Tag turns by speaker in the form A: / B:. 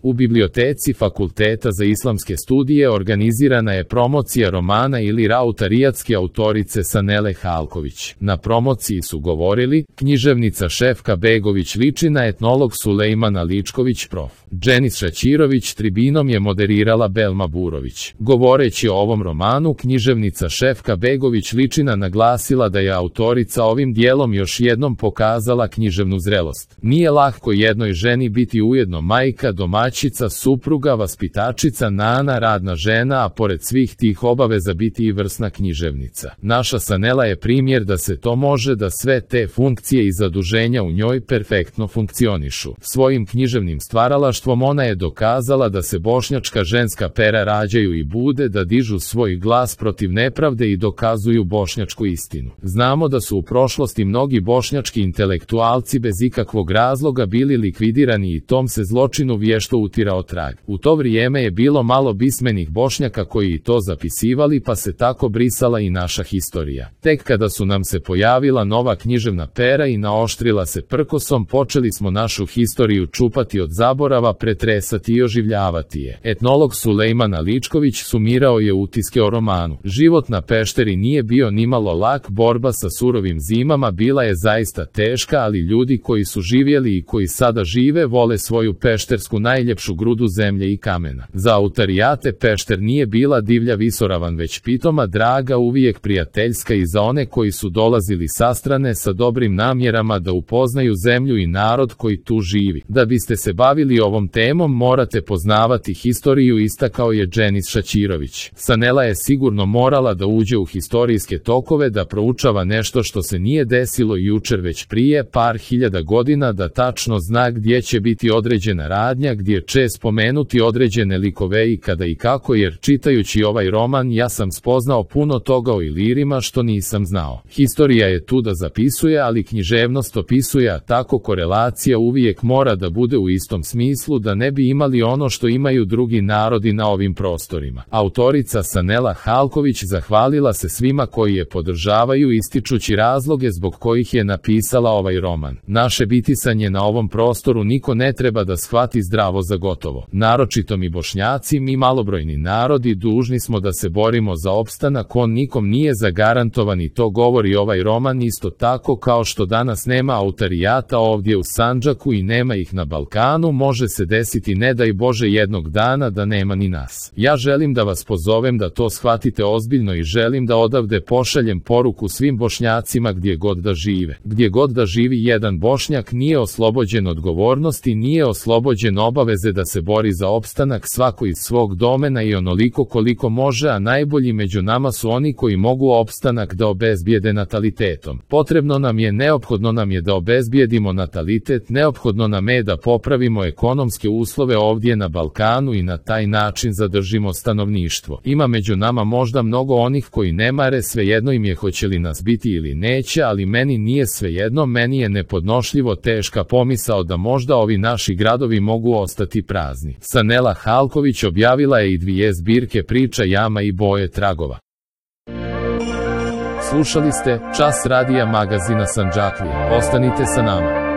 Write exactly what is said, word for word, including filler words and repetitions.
A: U biblioteci Fakulteta za islamske studije organizirana je promocija romana ili Rautariyatske autorice Sanele Halković. Na promociji su govorili književnica Šefka Begović Ličina, etnolog Sulejmana Ličković, prof. Dženis Šaćirović, tribinom je moderirala Belma Burović. Govoreći o ovom romanu, književnica Šefka Begović Ličina naglasila da je autorica ovim dijelom još jednom pokazala književnu zrelost. Nije lako jednoj ženi biti ujedno majka, domaćica, supruga, vaspitačica, nana, radna žena, a pored svih tih obaveza biti i vrsna književnica. Naša Sanela je primjer da se to može, da sve te funkcije i zaduženja u njoj perfektno funkcionišu. Svojim književnim stvaralaštvom ona je dokazala da se bošnjačka ženska pera rađaju i bude, da dižu svoj glas protiv nepravde i dokazuju bošnjačku istinu. Znamo da su u prošlosti mnogi bošnjački intelektualci bez ikakvog razloga bili likvidirani i tom se zločinu vješto utirao trag. U to vrijeme je bilo malo pismenih Bošnjaka koji i to zapisivali, pa se tako brisala i naša historija. Tek kada su nam se pojavila nova književna pera i naoštrila se prkosom, počeli smo našu historiju čupati od zaborava, pretresati i oživljavati je. Etnolog Sulejmana Ličković sumirao je utiske o romanu. Život na Pešteri nije bio nimalo lak, borba sa surovim zimama bila je zaista teška, ali ljudi koji su živjeli i koji sada žive vole svoju peštersku najljepšu grudu zemlje i kamena. Za Autarijate Pešter nije bila divlja visoravan, već pitoma, draga, uvijek prijateljska i za one koji su dolazili sa strane sa dobrim namjerama da upoznaju zemlju i narod koji tu živi. Da biste se bavili ovom temom morate poznavati historiju, istakao je Dženis Šaćirović. Sanela je sigurno morala da uđe u historijske tokove, da proučava nešto što se nije desilo jučer već prije par hiljada godina, da tačno zna gdje će biti određena radnja, gdje će spomenuti određene likove i kada i kako, jer čitajući ovaj roman ja sam spoznao puno toga o Ilirima što nisam znao. Historija je tu da zapisuje, ali književnost opisuje, a tako korelacija uvijek mora da bude u istom smislu, da ne bi imali ono što imaju drugi narodi na ovim prostorima. Autorica Sanela Halković zahvalila se svima koji je podržavaju, ističući razloge zbog kojih je napisala ovaj roman. Naše bitisanje na ovom prostoru niko ne treba da shvati zdravo za gotovo. Naročito mi Bošnjaci, mi malobrojni narodi, dužni smo da se borimo za opstanak, on nikom nije zagarantovan i to govori ovaj roman, isto tako kao što danas nema Autarijata ovdje u Sandžaku i nema ih na Balkanu, može se desiti, ne daj Bože, jednog dana da nema ni nas. Ja želim da vas pozovem da to shvatite ozbiljno i želim da odavde pošaljem poruku svim Bošnjacima gdje god da žive. Gdje god da živi jedan Bošnjak nije oslobođen odgovornosti, nije oslobođen obaveze da se bori za opstanak, svako iz svog domena i onoliko koliko može, a najbolji među nama su oni koji mogu opstanak da obezbijede natalitetom. Potrebno nam je, neophodno nam je da obezbijedimo natalitet, neophodno nam je da popravimo ekonomske uslove ovdje na Balkanu i na taj način zadržimo stanovništvo. Ima među nama možda mnogo onih koji ne mare, svejedno im je hoće li nas biti ili neće, ali meni nije svejedno, meni je nepodnošljivo teška pomisao da možda ovi naši gradovi mogu ostati prazni. Sanela Halković objavila je i dvije zbirke priča Jama i Boje tragova. Slušali ste Čas radija magazina Sandžaklija. Ostanite sa nama.